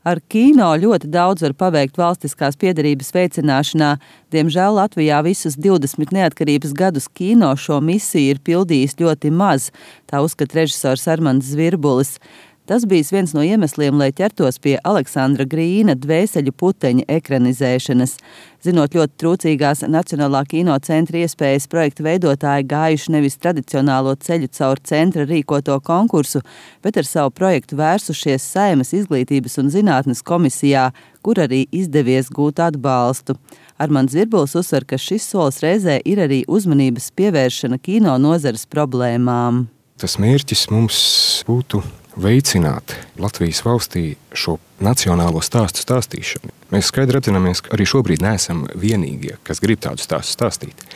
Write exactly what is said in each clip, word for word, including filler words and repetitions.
Ar kino ļoti daudz var paveikt valstiskās piederības veicināšanā. Diemžēl Latvijā visus divdesmit neatkarības gadus kino šo misiju ir pildījis ļoti maz, tā uzskata režisors Armands Zvirbulis. Tas bijis viens no iemesliem, lai ķertos pie Aleksandra Grīna Dvēseļu puteņa ekranizēšanas. Zinot ļoti trūcīgās Nacionālā kino centra iespējas, projekta veidotāji gājuši nevis tradicionālo ceļu caur centra rīkoto konkursu, bet ar savu projektu vērsušies Saeimas izglītības un zinātnes komisijā, kur arī izdevies gūt atbalstu. Armands Zvirbulis uzsver, ka šis solis reizē ir arī uzmanības pievēršana kino nozares problēmām. Tas mērķis mums būtu veicināt Latvijas valstī šo nacionālo stāstu stāstīšanu. Mēs skaidri apzināmies, ka arī šobrīd neesam vienīgie, kas grib tādu stāstu stāstīt.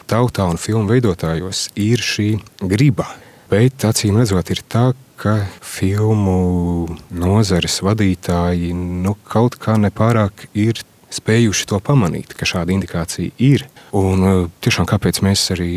Tautā un filmu veidotājos ir šī griba, bet acīm redzot ir tā, ka filmu nozares vadītāji nu, kaut kā nepārāk ir spējuši to pamanīt, ka šāda indikācija ir. Un tiešām kāpēc mēs arī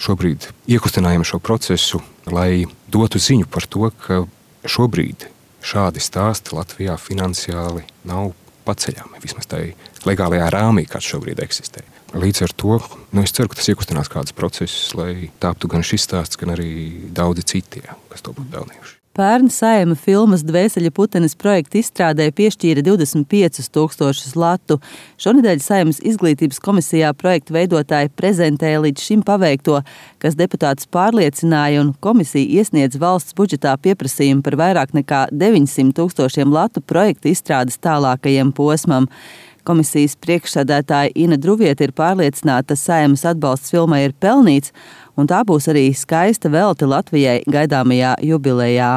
šobrīd iekustinājam šo procesu, lai dotu ziņu par to, ka šobrīd šādi stāsti Latvijā finansiāli nav paceļami, vismaz tai legālajā rāmī, kāds šobrīd eksistē. Līdz ar to, nu, es ceru, ka tas iekustinās kādus procesus, lai tāptu gan šis stāsts, gan arī daudzi citie, kas to būtu pelnījuši. Pērn Saeima filmas Dvēseļu putenis projekta izstrādē piešķīra divdesmit piecus tūkstošus latu. Šonedēļ Saeimas izglītības komisijā projekta veidotāji prezentēja līdz šim paveikto, kas deputātus pārliecināja, un komisija iesniedz valsts budžetā pieprasījumu par vairāk nekā deviņsimt tūkstošiem latu projekta izstrādes tālākajam posmam. Komisijas priekšsēdētāja Ina Druvieta ir pārliecināta, ka Saeimas atbalsts filmai ir pelnīts, un tā būs arī skaista velti Latvijai gaidāmajā jubilejā.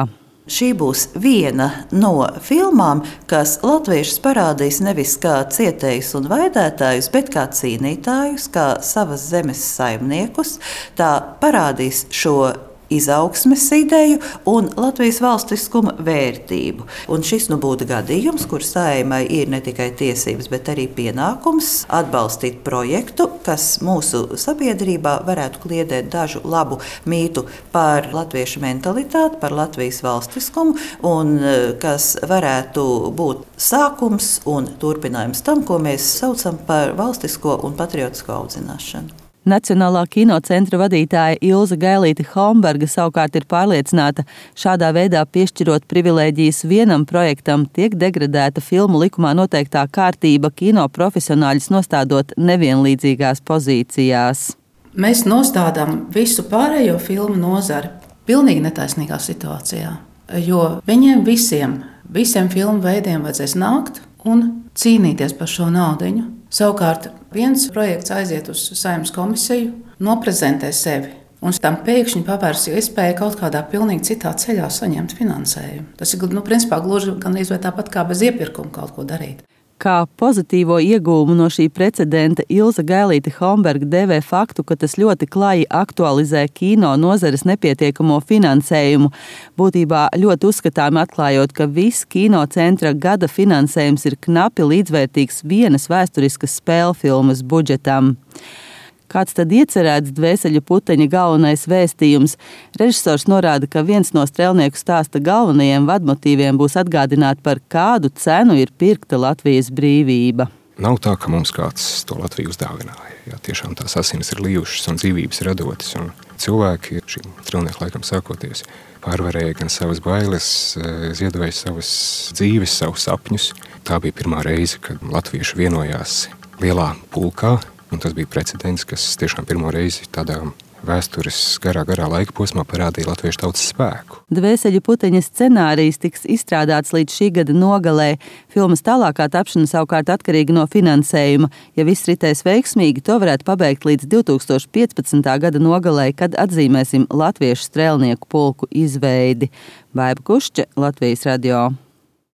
Šī būs viena no filmām, kas latviešus parādīs nevis kā cietējus un vaidētājus, bet kā cīnītājus, kā savas zemes saimniekus. Tā parādīs šo izaugsmes ideju un Latvijas valstiskuma vērtību. Un šis nu būtu gadījums, kur Saeimai ir ne tikai tiesības, bet arī pienākums atbalstīt projektu, kas mūsu sabiedrībā varētu kliedēt dažu labu mītu par latviešu mentalitāti, par Latvijas valstiskumu, un kas varētu būt sākums un turpinājums tam, ko mēs saucam par valstisko un patriotisko audzināšanu. Nacionālā kino centra vadītāja Ilze Gailīte-Homberga savukārt ir pārliecināta, šādā veidā piešķirot privilēģijas vienam projektam, tiek degradēta filmu likumā noteiktā kārtība, kino profesionāļus nostādot nevienlīdzīgās pozīcijās. Mēs nostādām visu pārējo filmu nozari pilnīgi netaisnīgā situācijā, jo viņiem visiem, visiem filmu veidiem vajadzēs nākt un cīnīties par šo naudiņu. Savukārt viens projekts aiziet uz Saeimas komisiju, noprezentē sevi, un tam pēkšņi pavērs iespēju kaut kādā pilnīgi citā ceļā saņemt finansējumu. Tas ir nu, principā gluži gan izvērt tāpat kā bez iepirkuma kaut ko darīt. Kā pozitīvo iegūmu no šī precedenta Ilze Gailīte-Homberga devē faktu, ka tas ļoti klaji aktualizē kino nozares nepietiekamo finansējumu, būtībā ļoti uzskatāmi atklājot, ka viss kino centra gada finansējums ir knapi līdzvērtīgs vienas vēsturiskas spēlfilmas budžetam. Kāds tad iecerēts Dvēseļu puteņa galvenais vēstījums? Režisors norāda, ka viens no strēlnieku stāsta galvenajiem vadmotīviem būs atgādināt, par kādu cenu ir pirkta Latvijas brīvība. Nav tā, ka mums kāds to Latviju uzdāvināja. Jā, tiešām tās asinis ir lījušas un dzīvības radotas. Un cilvēki šim strēlnieku laikam sākoties pārvarēja gan savas bailes, ziedoja savas dzīves, savus sapņus. Tā bija pirmā reize, kad latvieši vienojās lielā pulkā. Un tas bija precedents, kas tiešām pirmo reizi tādā vēstures garā, garā laika posmā parādīja latviešu tautas spēku. Dvēseļu puteņa scenārijs tiks izstrādāts līdz šī gada nogalē. Filmas tālākā tapšana savukārt atkarīga no finansējuma. Ja viss ritēs veiksmīgi, to varētu pabeigt līdz divi tūkstoši piecpadsmitā gada nogalē, kad atzīmēsim latviešu strēlnieku pulku izveidi. Baiba Kušče, Latvijas radio.